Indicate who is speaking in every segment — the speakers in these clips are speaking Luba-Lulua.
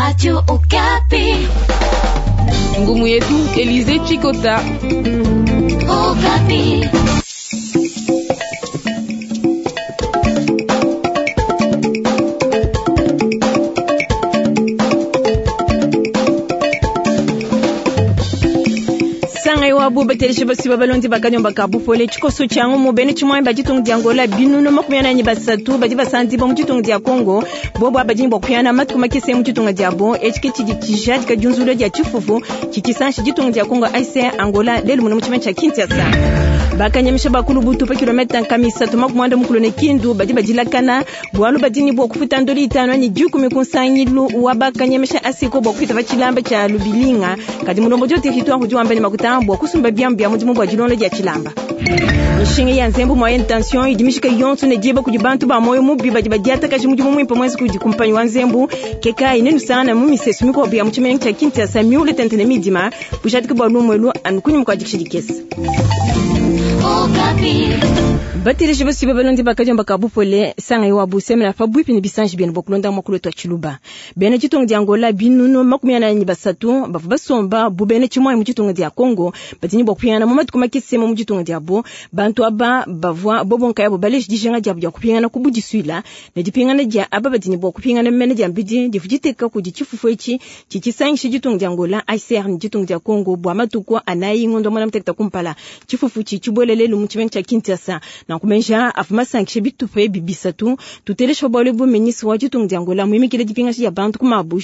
Speaker 1: Radio Okapi.
Speaker 2: Ngumu yetu Elize Chikota.
Speaker 1: Okapi.
Speaker 3: Sangai wa batelishe basi babalondi bakanyomba ka bupole tshikoso tshia ngumu bene tshimwai ba ditunga dia Angola binunu 43 badi basandi ba mu ditunga dia Congo bobo abadi bua kuyana matuku makese mu ditunga diabo etshi ke tshidi tshijadika diunzula dia tshifufu tshitshisanshi ditunga dia Congo AIC Angola lelu muno mu tshimenga tshia Kinshasa. Bakanyamisha bakulu butu pa kilometa nkamisatu 80 ne Kindu badi badilakana bualu badi ne bua kufuta ndoli 5 anyi 10 ku nsangilu wa bakanyamisha asiko bua kufita pa tshilamba tshia Lubilinga kadi mulombodi wa territoire udi wamba ne makuta bua kusumba biamu bia mudimu bua dilonda dia tshilamba. Mishinga ya nzembu moyenne tension idi mishika yonso ne diba kudi bantu ba moyo mubi badi badiatakaja mudimu muimpe mwenza kudi kumpanyi wa nzembu kekayi nenusangana mu misesu mikuabu ya mu tshimenga tshia Kinshasa miule tente ne midima bujadiki bua lumu elu anu kunyima kua dikisha dikese. Bateleji basi babalondi bakadiomba ka bupole sanga wa busemela pa bwipi ne bisanji bienu bua kulonda mwakulu wetu wa tshiluba. Bena ditunga dia Angola binunu 43 bavua basomba bu bena tshimwai mu ditunga dia Congo badi ne bua kupingana mu matuku makese mu ditunga diabo. Bantu aba bavua bobo nkayabo baleji dijinga diabo dia kupingana ku budisuila ne dipingana dia aba badi ne bua kupingana mene dia mbidi divu diteka kudi tshifufu etshi tshitshisangisha ditunga dia Angola ACR ne ditunga dia Congo bua matuku anayi ngondo 18 kumpala. Tshifufu tshi tshibuele lelu mu tshimenga tshia Kinshasa. Nankumenja avua masankishe bitupa ebi bisatu tutelesha bualu bu ministre wa ditunga dia Angola muimikile dipingasha dia bantu ku mabu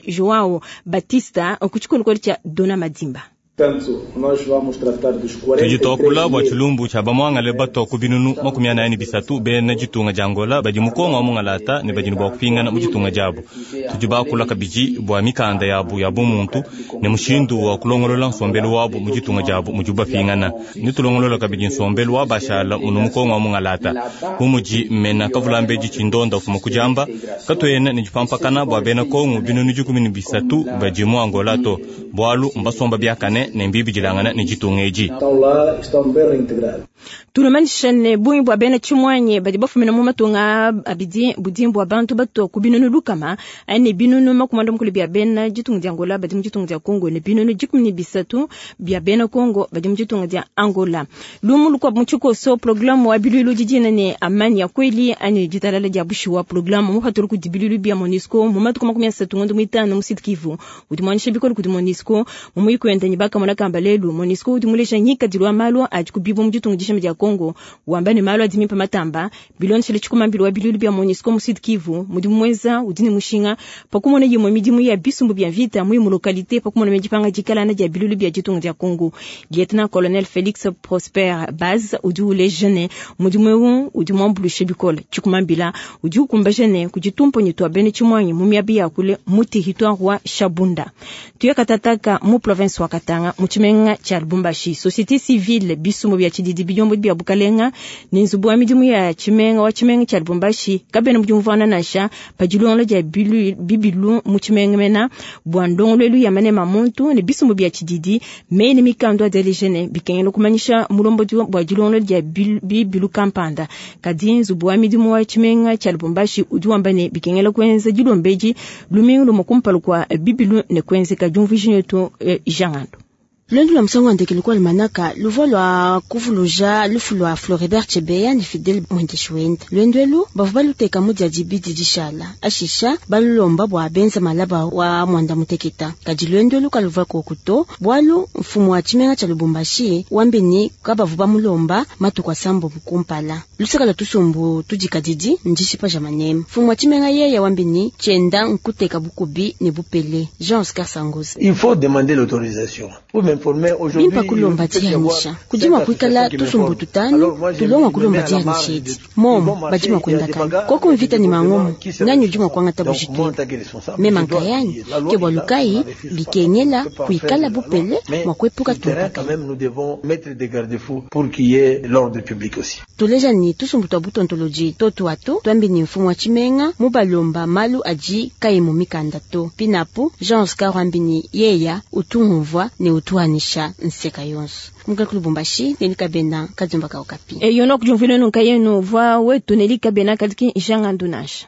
Speaker 3: Joao Batista ku tshikolokolo tshia Dona Madimba.
Speaker 4: Tudi tuakula bua tshilumbu tshia bamuangale batua ku binunu 43 bena ditunga dia Angola badi mu Kongo wa mungalata ne badi ne bua kupingana mu ditunga diabu. Tudi bakula kabidi bua mikanda yabu ya bumuntu ne mushindu wa kulongolola nsombelu wabu mu ditunga diabu mudibu bapingana. Ne tulongolola kabidi nsombelu wa bashala munu mu Kongo wa mungalata. Bu mudi mena kavulambedi tshindonda ufuma kudiamba, katuena ne dipampakana bua bena Kongo binunu 13 badi mu Angola to, bualu mbasomba biakane ne mbibidilangana ne ditunga edi.
Speaker 3: Tulomanyisha ne bungi bua bena tshimwanye badi bafumina mu matunga abidi budi bua bantu batua ku binunu 100 ne binunu 90 bia bena ditunga dia Angola badi mu ditunga dia Congo ne binunu 13 bia bena Congo badi mu ditunga dia Angola. Lumu lukuabu mu tshikoso programme wa bilulu didina ne amani ya kweli anyi ditalala dia bushuwa programme mupatula kudi bilulu bia MONUSCO mu matuku 30 ngondo 5 mu Sud Kivu udi muanyisha bikole kudi MONUSCO mu muyuki wende ne bakamona kamba lelu MONUSCO udi muleja ngikadilu wa malu adi kubibu mu ditunga dishima dia Congo wamba ne malu adi mimpe matamba bilondeshele tshikumambilo wa bilulu bia MONUSCO mu Sud Kivu mudimu muenza udi ne mushinga pakumona yimwe midimu ya bisumbu bia vita mu localité pakumona medipanga dikalana dia bilulu bia ditunga dia Congo. Lieutenant Colonel Félix Prosper Baz udi uleja ne mudimu eu udi muambulushe bikole tshikumambila udi ukumbaja ne kuditumponyi tua bene tshimwanyi mu miabi ya kule mu territoire wa Shabunda. Tuyakatataka mu province wa Katanga mu tshimenga tshia Lubumbashi. Société civile bisumbu bia tshididi biyombo bia bukalenga ne nzubu wa midimu ya tshimenga wa tshimenga tshia Lubumbashi kabena mu diumvuana nansha pa dilongola dia bibilu mu tshimenga mena bua ndongoluelu ya manema muntu ne bisumbu bia tshididi meyi ne mikanda adialeja ne bikengela kumanyisha mulombodi bua dilongola dia bibilu kampanda. Kadi nzubu wa midimu wa tshimenga tshia Lubumbashi udi wamba ne bikengela kuenza dilombedi lumingu lumue kumpala kua bibilu ne kuenzeka diumvuija netu Jangando.
Speaker 5: Luendu lua musangu wa ndekelu kua almanaka luvua lua kuvuluja lufu lua Floribert Chebeya ne Fidel Mwendeshi wende. Luendu elu bavua baluteka mu dia dibidi dishala ashisha balulomba bua benza malaba wa mwanda muteketa. Kadi luendu elu kaluvua koku to bualu mfumu wa tshimenga tshia Lubumbashi wambi ni kabavua bamulomba matuku asambo kumpala. Lusaka lua tusumbu tudikadidi ndishipa ja manema. Mfumu wa tshimenga yeye wambi ni tshienda nkuteka bukubi ne bupele. Jean Oscar Sangoza.
Speaker 6: Il faut demander l'autorisation. Pour m'informer aujourd'hui,
Speaker 5: Bimpa kulomba dianyisha. Kudima kuikala tusumbu tutanu, tulonga kulomba dianyisha edi. Momo, badima kwenda kana. Koko mvita ni mangomo, nanyu dima kwangata bujitu. Mema nkayani, ke bwa lukai, bikenyela, kuikala bupele, mwa kuepuka
Speaker 6: Terrain, quand même, nous devons mettre des garde-fous pour qu'il y ait l'ordre public aussi.
Speaker 5: Tuleja ni tusumbu twa butontoloji totu atu, twambi ni mfumu wa tshimenga, mubalomba malu adi kayi mu mikanda to. Pinapu, Jean Oscar wambi ni yeya utumvwa ne utuanisha nseka yonso. Kumbuka ku Lubumbashi, Nelly Kabena, Kadiomba ka Okapi.
Speaker 3: E yono kujumvile nunka yenu, vwa wetu Nelly Kabena kadiki Jean Andunasha.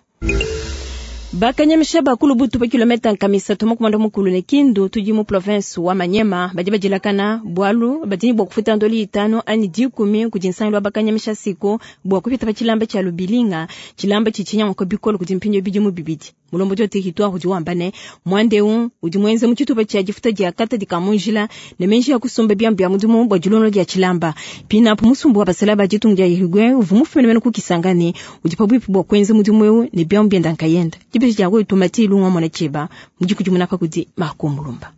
Speaker 3: Bakanyamisha bakulu butu pa kilometa nkama isatu makumi muanda mukulu ne Kindu tudi mu province wa Maniema badi badilakana bwalu badi bwa kufuta ndoli itano ani dikumi kudi nsangilu wa bakanyamisha siko bwa kupita pa tshilamba tshia lubilinga tshilamba tshitshinyanguka bikolo kudi mpindio bidimu bibidi. Mulombodi wa territoire udi wamba ne mwandeu udi mwenze mu tshitupa tshia difuta dia kata dikamunjila ne menji ya kusumba biambu bia mudimu bwa dilongo dia tshilamba. Pinapo musumbu wa basala ba ditunga dia Uruguay uvua mufumine mene ku Kisangani udi pabuipi bwa kuenza mudimu eu ne biambu bienda nkayenda. Dibeji dia wetu Mati Lunga mwana cheba mudi kudimuna pa kudi Marco Mulumba.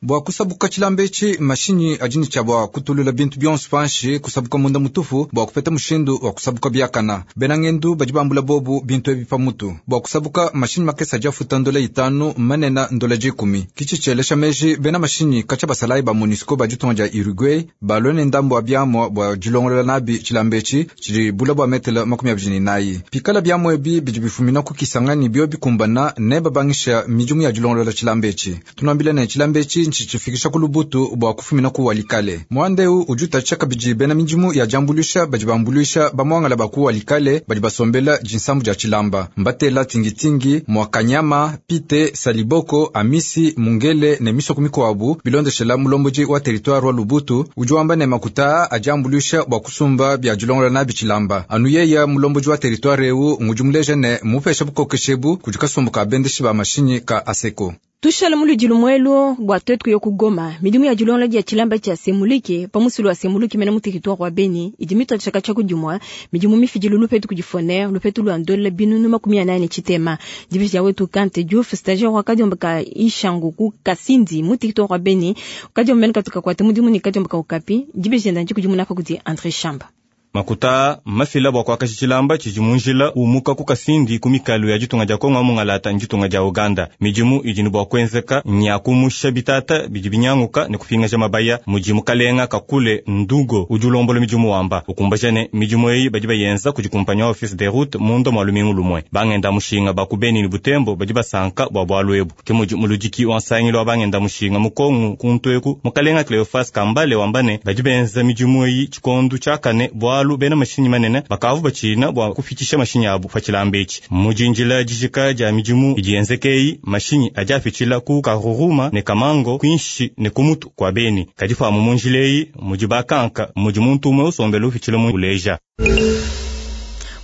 Speaker 7: Bwa kusabuka tshilamba etshi mashinyi adi ne tshia bwa kutulula bintu bionso panshi kusabuka munda mutufu bwa kupeta mushindu wa kusabuka biakana. Bena ngendu badi bambula bobu bintu ebi pamutu. Bwa kusabuka mashinyi makese adi afuta ndola itanu manena ndola dikumi. Kitshi tshielesha meji bena mashinyi katshia basalayi ba MONUSCO ba ditunga dia Uruguay balue ne ndambu wa biamua bua dilongolola nabi tshilamba etshi tshidi bula bua metele 24. Pikala biamua ebi bidi bifumina ku Kisangani bio bikumbana ne babangisha midimu ya dilongolola tshilamba etshi. Tunuambile ne tshilamba etshi ntshifikisha ku Lubutu bua kufumina ku Walikale. Mwandeu udi utatshisha kabidi bena midimu ya diambuluisha badi bambuluisha bamuangala ba ku Walikale badi basombela dinsambu dia tshilamba. Mbatela tingitingi Mwakanyama, Pite, Saliboko, Amisi, Mungele ne misoko mikuabu bilondeshela mulombodi wa territoire wa Lubutu udi wamba ne makuta adi ambuluisha bua kusumba bia dilongola nabi tshilamba. Anu yeya mulombodi wa territoire eu ngudi muleja ne mupesha bukokeshebu kudi kasumbu ka bendeshi ba mashinyi ka Aseko.
Speaker 3: Tushala muludilu mwelo bwa twetu yo kugoma midimu ya dilongola dia tshilamba tshia Semuliki pamusulu wa Semuliki mena mu territoire wa Beni idi mitwa tshaka tshia kudimwa midimu mifidilu lupetu kudifoner lupetu lwa ndola binunu 48 tshitema. Division ya wetu Kante Diouf stagiaire wa kadiomba ka Ishangu ku Kasindi mu territoire wa Beni kadiomba mena katuka kwa mudimu ni kadiomba ka Okapi. Division ndanji kudimuna pa kudi André Chamba.
Speaker 4: Makuta mafila bwa kuakashi tshilamba tshidi munjila umuka ku Kasindi ku mikalu ya ditunga dia Kongo mungalata nditunga dia Uganda. Midimu idi ne bua kuenzeka nya kumusha bitata bidi binyanguka ne kupingaja mabaya mudi mukalenga kakule ndugo udi ulombola midimu wamba ukumbaja ne midimu eyi badi bayenza kudi kumpanyi wa office de route mundo mwa lumingu lumwe. Bangenda mushinga ba ku Beni ne Butembo badi basanka bua bualu ebu. Ke mudi muludiki wa nsangilu wa bangenda mushinga mu Kongo kuntu eku mukalenga Cleophas Kambale wamba ne badi benza midimu eyi tshikondu tshiakane bua bena mashinyi manene bakavu batshina bua kufitisha mashinyi abu pa tshilamba etshi. Mujinjila dijika dia midimu idi yenzekei mashinyi adi afitshila ku Karuruma ne Kamango kwinshi ne kumutu kwa Beni. Kadi pamu munjila eyi mudi bakanka mudi muntu umwe usombela ufitshila mu uleja.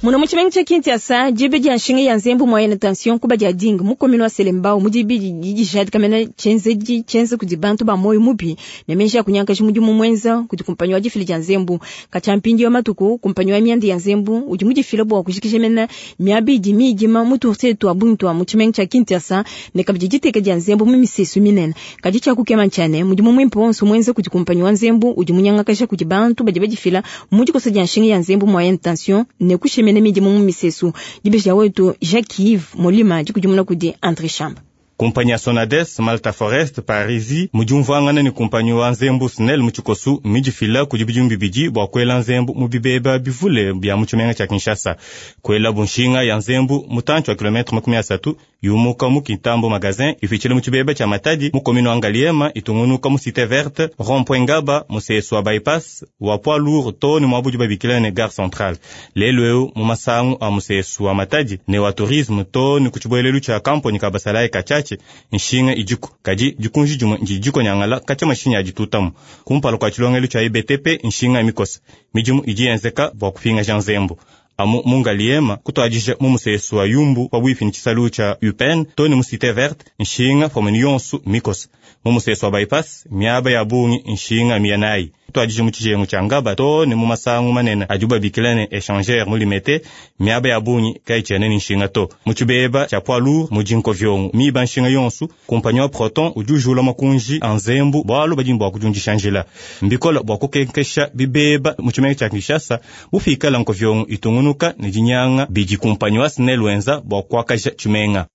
Speaker 3: Muna mu tshimenga tshia Kinshasa dibe dia nshinga ya nzembu moyenne tension kuba dia dinga mu commune wa Selembao mudi bidi dijadika mena tshenzedi tshienza kudi bantu ba moyo mubi ne menji ya kunyankaji mudimu mwenza kudi kumpanyi wa difila dia nzembu. Katshia mpindi wa matuku kumpanyi wa mianda ya nzembu udi mudifila bua kujikija mena miaba idi midima mu turse twa bungi twa mu tshimenga tshia Kinshasa ne kabidi diteka dia nzembu mu misesu minene. Kadi tshia kukema ntshia mudimu mwimpe wonso mwenza kudi kumpanyi wa nzembu udi munyangakaja kudi bantu badi badifila mu dikosa dia nshinga ya nzembu moyenne tension ne kushemena midimu mu misesu. Dibeji wetu Jacques Yves Molima dikudimuna kudi André Chamba.
Speaker 4: Kumpanyi ya Sonades Malta Forest Parisi mujumvuangana ne kumpanyi wa nzembu Snell mu tshikosu midifila kudi bidimu bibidi bua kuela nzembu mu bibeba bivule bia mu tshimenga tshia Kinshasa. Kuela bunshinga ya nzembu mutantshi wa kilometre 30 yumuka mu Kintambo magasin ifitshile mu tshibeba tshia Matadi mu commune wa Ngaliema itungunuka mu Cité Verte rond-point Ngaba musesu wa bypass wa poids lourd to ne mwabudi babikila ne gare centrale. Lelo eu mu masangu a musesu wa Matadi ne wa tourisme to ne ku tshibuelelu tshia kamponi ka basalayi ka Tshatshi nshinga idiku kadi dikunji dimue ndidiko nyangala katshia mashinyi aditutamu kumpala kua tshilongelu tshia IBTP nshinga mikosa midimu idi yenzeka bua kupingaja nzembu amu mu Ngaliema kutuadija mu musesu wa Yumbu pabuipi ne tshisalu tshia UPN to ne mu Cité Verte nshinga pamue yonsu mikosa mu musesu wa bypass miaba ya bungi nshinga miyanayi kutuadija mu tshijengu tshia Ngaba to ne mu masangu manene adi babikila ne échangeur mu Limete miaba ya bungi kayitshiena ne nshinga to mu tshibeba tshia poids lourd mu dinkovyongo miba nshinga yonsu kumpanyi wa Proton udi ujula makunji a nzembu bualu badi bua kudiundisha njila mbikola bua kukenkesha bibeba mu tshimenga tshia Kinshasa bufikala nkovyongo itungunuka ne dinyanga bidi kumpanyi wa Snell wenza bua kuakaja tshimenga.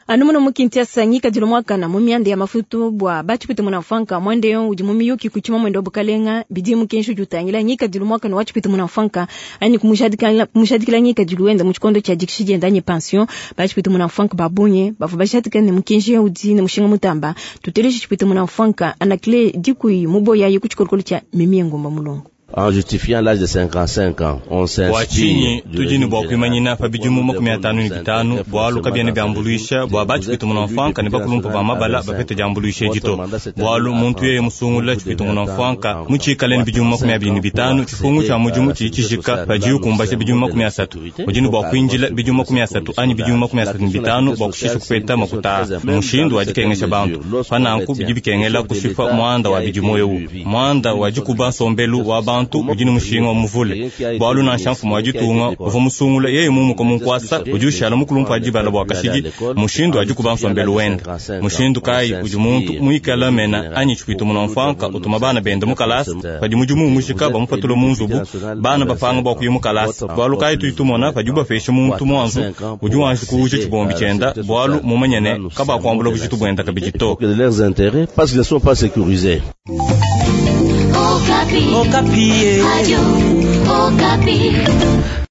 Speaker 3: Anu muno mu Kinshasa ngikadilu mwakana mu mianda ya mafutu bua batshipite muna mfanka mwende yo udi mu miyuki kuchima mwendo wa bukalenga bidi mukenshi udi utangila ngikadilu mwakana wa tshipite muna mfanka ani kumujadikila ngikadilu wenda mu tshikondo tshia dikishi dienda anyi pension batshipite muna mfanka babunye bavua bajadika ne mukenshi udi ne mushinga mutamba tuteleje tshipite muna mfanka anakile dikui muboya ye ku tshikolokolo tshia Mimi Ngumba Mulongo.
Speaker 8: En justifiant l'âge de 55 ans, on
Speaker 4: Bua
Speaker 8: s'inspire
Speaker 4: tshinyi
Speaker 8: du
Speaker 4: tudi ne
Speaker 8: régime
Speaker 4: bua
Speaker 8: général.
Speaker 4: kuimanyina pa bidimu 55 bualu kabiena biambuluisha bua batshipita munamfuanka ne bakulumpa ba mabala bapete diambuluisha edi to. Bualu muntu yeye musungula tshipita munamfuanka mutshikale ne bidimu 25, tshifungu tshia mudimu tshidi tshijika padiye ukumbaja bidimu 30. Udi ne bua kuindila bidimu 30 anyi bidimu 35 bua kushisha kupeta makuta aa. Mushindu wa dikengesha bantu. Pa nanku bidi bikengela kushipa muanda wa bidimu eu. Muanda wa dikuba nsombelu wa bantu udi ne mushinga wa muvule. Bualu nansha mfumu wa ditunga uvua musungula yeye mumuka mu nkuasa udi ushala mukulumpa wa dibala bua kashidi mushindu wa dikuba nsombelu wende. Mushindu kayi udi muntu muikala mena anyi tshipito munamfuanka utuma bana bende mu kalasa padi mudimu umujika bamupatula mu nzubu bana bapanga bua kuya mu kalasa. Bualu kayi tudi tumona padibu bapesha muntu muanzu udi wanji kuuja tshibombi tshienda bualu mumanye ne kabakuambula bujitu buenda kabidi to.
Speaker 8: De leurs intérêts parce qu'ils ne sont pas sécurisés.
Speaker 1: Okapi.
Speaker 9: Okapi.
Speaker 1: Radio Okapi.